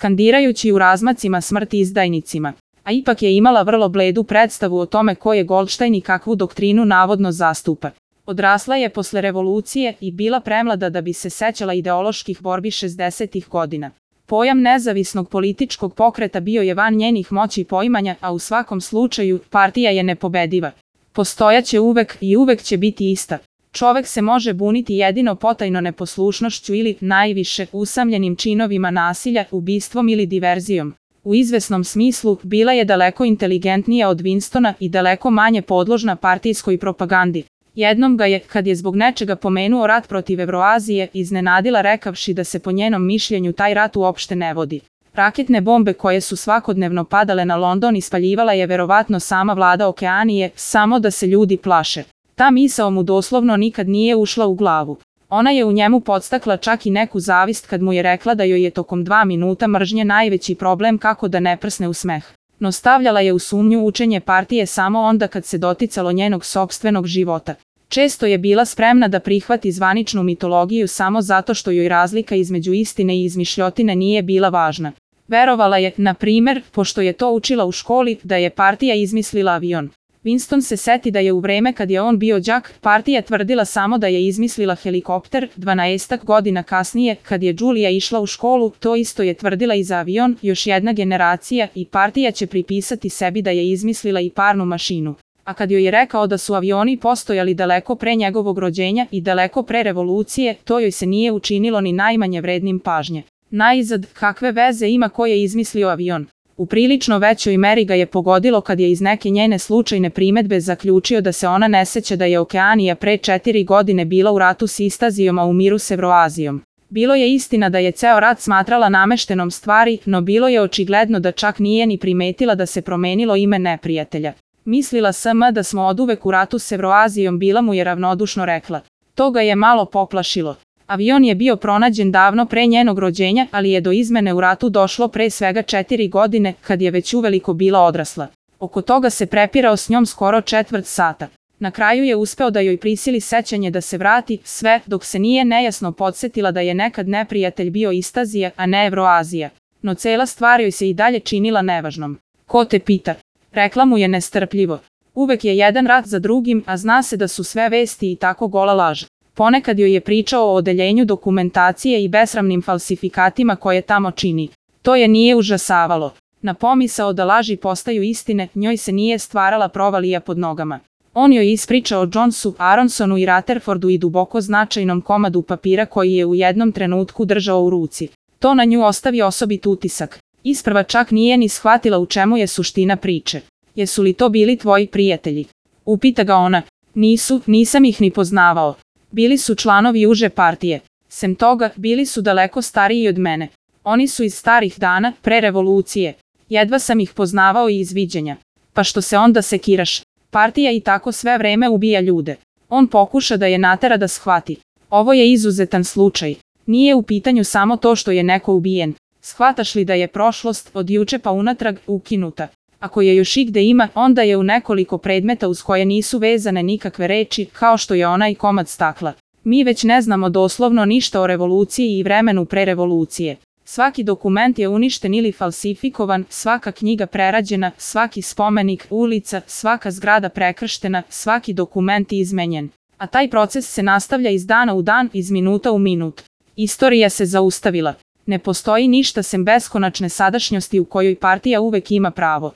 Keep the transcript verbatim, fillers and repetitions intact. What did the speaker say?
skandirajući u razmacima smrt izdajnicima. A ipak je imala vrlo bledu predstavu o tome ko je Goldstein i kakvu doktrinu navodno zastupa. Odrasla je posle revolucije i bila premlada da bi se sećala ideoloških borbi šezdesetih godina. Pojam nezavisnog političkog pokreta bio je van njenih moći poimanja, a u svakom slučaju partija je nepobediva. Postojaće uvek i uvek će biti ista. Čovek se može buniti jedino potajno neposlušnošću ili, najviše, usamljenim činovima nasilja, ubistvom ili diverzijom. U izvesnom smislu, bila je daleko inteligentnija od Winstona i daleko manje podložna partijskoj propagandi. Jednom ga je, kad je zbog nečega pomenuo rat protiv Evroazije, iznenadila rekavši da se po njenom mišljenju taj rat uopšte ne vodi. Raketne bombe koje su svakodnevno padale na London ispaljivala je verovatno sama vlada Okeanije, samo da se ljudi plaše. Ta misao mu doslovno nikad nije ušla u glavu. Ona je u njemu podstakla čak i neku zavist kad mu je rekla da joj je tokom dva minuta mržnje najveći problem kako da ne prsne u smeh. No stavljala je u sumnju učenje partije samo onda kad se doticalo njenog sopstvenog života. Često je bila spremna da prihvati zvaničnu mitologiju samo zato što joj razlika između istine i izmišljotine nije bila važna. Verovala je, na primer, pošto je to učila u školi, da je partija izmislila avion. Winston se seti da je u vreme kad je on bio đak, partija tvrdila samo da je izmislila helikopter. Dvanaestak godina kasnije, kad je Julia išla u školu, to isto je tvrdila i za avion, još jedna generacija, i partija će pripisati sebi da je izmislila i parnu mašinu. A kad joj je rekao da su avioni postojali daleko pre njegovog rođenja i daleko pre revolucije, to joj se nije učinilo ni najmanje vrednim pažnje. Naizad, kakve veze ima ko je izmislio avion? U prilično većoj meri ga je pogodilo kad je iz neke njene slučajne primetbe zaključio da se ona ne seća da je Okeanija pre četiri godine bila u ratu s Istazijom, a u miru s Evroazijom. Bilo je istina da je ceo rat smatrala nameštenom stvari, no bilo je očigledno da čak nije ni primetila da se promenilo ime neprijatelja. Mislila sam da smo oduvek u ratu s Evroazijom, bila mu je ravnodušno rekla. To ga je malo poplašilo. Avion je bio pronađen davno pre njenog rođenja, ali je do izmene u ratu došlo pre svega četiri godine, kad je već uveliko bila odrasla. Oko toga se prepirao s njom skoro četvrt sata. Na kraju je uspeo da joj prisili sećanje da se vrati, sve dok se nije nejasno podsetila da je nekad neprijatelj bio Istazija, a ne Evroazija. No cela stvar joj se i dalje činila nevažnom. Ko te pita? Rekla mu je nestrpljivo. Uvek je jedan rat za drugim, a zna se da su sve vesti i tako gola laž. Ponekad joj je pričao o odeljenju dokumentacije i besramnim falsifikatima koje tamo čini. To je nije užasavalo. Na pomisao da laži postaju istine, njoj se nije stvarala provalija pod nogama. On joj ispričao o Jonesu, Aronsonu i Rutherfordu i duboko značajnom komadu papira koji je u jednom trenutku držao u ruci. To na nju ostavi osobit utisak. Isprva čak nije ni shvatila u čemu je suština priče. Jesu li to bili tvoji prijatelji? Upita ga ona. Nisu, nisam ih ni poznavao. Bili su članovi uže partije. Sem toga, bili su daleko stariji od mene. Oni su iz starih dana, pre revolucije. Jedva sam ih poznavao i iz viđenja. Pa što se onda sekiraš? Partija i tako sve vreme ubija ljude. On pokuša da je natera da shvati. Ovo je izuzetan slučaj. Nije u pitanju samo to što je neko ubijen. Shvataš li da je prošlost, od juče pa unatrag, ukinuta? Ako je još igde ima, onda je u nekoliko predmeta uz koje nisu vezane nikakve reči, kao što je onaj komad stakla. Mi već ne znamo doslovno ništa o revoluciji i vremenu pre revolucije. Svaki dokument je uništen ili falsifikovan, svaka knjiga prerađena, svaki spomenik, ulica, svaka zgrada prekrštena, svaki dokument izmenjen. A taj proces se nastavlja iz dana u dan, iz minuta u minut. Istorija se zaustavila. Ne postoji ništa sem beskonačne sadašnjosti u kojoj partija uvek ima pravo.